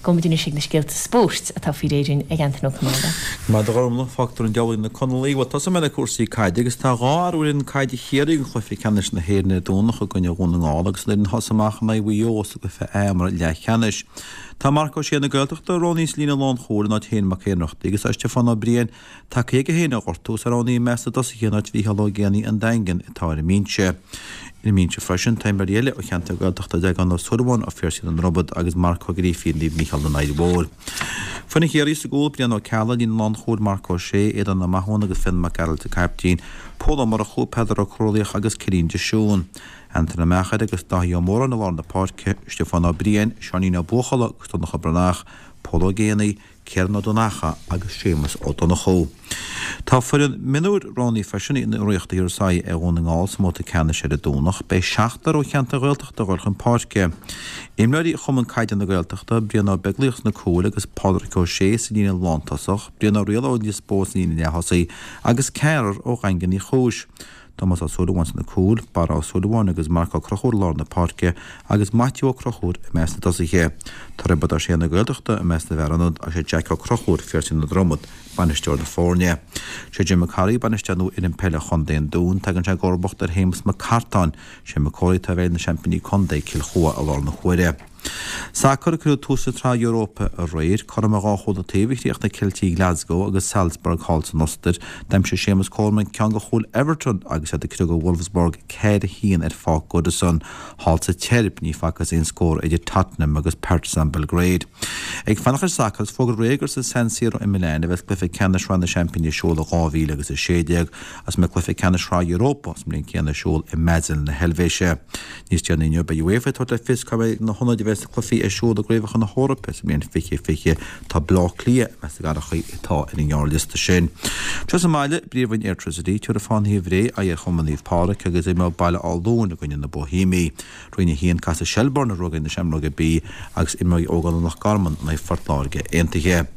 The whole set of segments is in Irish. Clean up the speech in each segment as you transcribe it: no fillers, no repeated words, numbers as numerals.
Gabhfaidh muid anois ag na scéalta spóirt atá faoi réir dúinn ag Antain Ó Conghaile. Maith thú a Ghormfhlaith, fágtar an diabhal ag na Conallaigh. Bhuel, tosóidh mé le cúrsaí caide agus tá dhá fhear ó fhoireann caide Chiarraí don chluiche ceannais na hÉireann ar an Domhnach i gcoinne Dhún na nGall agus an fhoireann a thosaigh amach in aghaidh Mhaigh Eo sa gcluiche A imeartha leathcheannais. Tá Marc Ó Sé na Gaeltachta roghnaithe sa líne lánchúil in áit Shane Mac Ionnrachtaigh agus tá Stiofán Ó Briain tagtha chuige féin ó ghortú is é roghnaithe i measc na dtosaithe in áit Mhícheál Ó Géibheannaigh an Daingin atá ar an mbinse. Ar an mbinse freisin tá imreoirí eile ó cheantar Gaeltachta Deaglán Ó Súilleabháin ó Phiarsaigh na nDromad agus Marc Ó Grífín Naomh Mícheál na nDoirí Mhór. Foireann Chiarraí sa gcúl, Brian Ó Ceallaigh, líne lánchúil, Marc Ó Sé, Aodán Ó Mathúna agus Fionn Mac Gearailt an caiptín, Pól Ó Murchú, Peadar Ó Crualaoich agus Cillian de Siún. Antain Ó Meachair agus Dáithí Ó Móráin i lár na páirce, Stiofán Ó Briain, Seáinín Ó Buachalla agus Donncha Breathnach, Pól Ó Géibheannaigh, Ciarán Ó Donnacha agus Séamus Ó Donnchú. Tá foireann mionúir roghnaithe freisin in iarracht a thabharfas aghaidh ar Dhún na nGall sa mbabhta ceannais ar an Domhnach. Beidh seachtar ó cheantar Ghaeltachta ag dul chun páirce. Imreoirí Chumann Caide na Gaeltachta, Brian Ó Beaglaoich sna cúil agus Pádraic Ó Sé sa líne lántosach, Brian Ó Riada ó Lios Póil sa líne leath-thosaigh agus ceathrar ó Dhaingean Uí Chúis. Tomás Ó Súilleabháin sna cúil, Barra Ó Súilleabháin agus Marc Ó Conchúir i lár na páirce agus Maitiú Ó Conchúir i measc na dtosaithe. Tá Roibeard Ó Sé na Gaeltachta i measc na bhfear ionad agus sé Jack Ó Conchúir, Phiarsaigh na Dromad, bainisteoir na foirne. Sé Jim Mac Corraidh bainisteoir nua fhoireann peile Chontae an Dúin. Tagann sé i gcomharbacht ar Shéamus Mac Cartáin. Sé Mac Corraidh atá i bhfeighil na seaimpíní contae, Cill Chua, i láthair na huaire. Sacar, Cuireadh tús le Sraith Europa aréir. Cothrom ar dhá chúl an taobh a chríochnaigh Ceiltigh Glasgow agus Salzburg thall san Ostair. D'aimsigh Séamus Coleman ceann de chúil Everton agus iad ag criogadh Wolfsburg 4-1 ar Pháirc Goodison. Thall sa tSeirb, ní facthas aon scór idir Tottenham agus Partizan Belgrade. Ag fanacht ar sacar, is fógraíodh aréir gur sa San Siro i Milan a bheas cluiche ceannais Shraith na Seaimpíní ar siúl i 2016 agus go mbeidh cluiche ceannais Shraith Europa sa mbliain céanna ar siúl i mBasel na hEilvéise. Níos déanaí inniu, beidh UEFA ag tabhairt le fios cá mbeidh na hionaid a bheas na cluichí ar siúl i gCraobhacha na hEorpa sa mbliain 2020. Tá Baile Átha Cliath i measc na gcathracha atá ar an ngearrliosta sin. Anseo sa mbaile, i bPríomhroinn Airtricity, tabharfaidh Fánaithe Bhré aghaidh ar Chumann Naomh Pádraig agus imreoidh Baile Átha Luain i gcoinne na Boihéimigh. Roinn 1, Casfaidh Shelbourne a ruaig ar na Seamróga B agus imreoidh Ógánach Loch Garman in aghaidh Phort Láirge Aontaithe.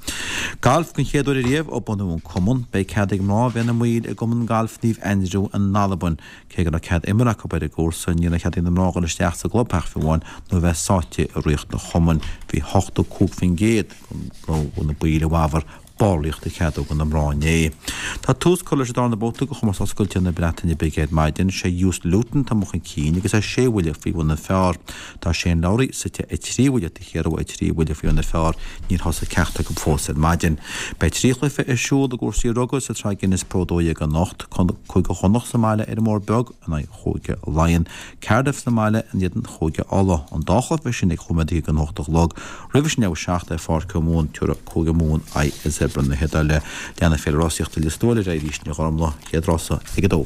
Galf, Den chéad uair ariamh ó bunú an cumann, beidh cead ag mná a bheith ina mbaill i gCumann Gailf Naomh Aindriú in Albain. Cé go raibh cead imeartha acu ar an gcúrsa, ní raibh cead ag na mná dhul isteach sa gclubtheach fiú amháin nó a bheith sáite i riocht an chumainn. Bhí 85% de na baill i bhfabhar ballraíocht a cheadú do na mná inné. Tá tús curtha leis an darna babhta de chomórtas oscailte na Breataine Bige ar maidin. Sé Joost Luiten atá amuigh chun cinn agus é sé bhuille faoi bhun an phar. Tá Shane Lowry suite 3 bhuille taobh thiar uaidh 3 bhuille faoi bhun an phar. Níor thosaigh ceachtar acu fós ar maidin. Beidh 3 chluiche ar siúl i gcúrsaí rugbaí sa tsraith Guinness Pro 12 anocht, Cúige Chonnacht sa mbaile ar an mBóthar Beag in aghaidh Chúige Laighean, Cardiff sa mbaile in éadan Chúige Uladh. An dá chluiche sin ag chúig nóiméad don hocht a chlog. Roimhe sin ag a 7 ar Pháirc Mumhan, tabharfaidh Cúige Mumhan aghaidh ar Zebre na hIodáile. Leanfaidh Féile Rásaíochta Lios Tuathail ar aghaidh arís inniu a Ghormfhlaith, chéad rása ag a dó.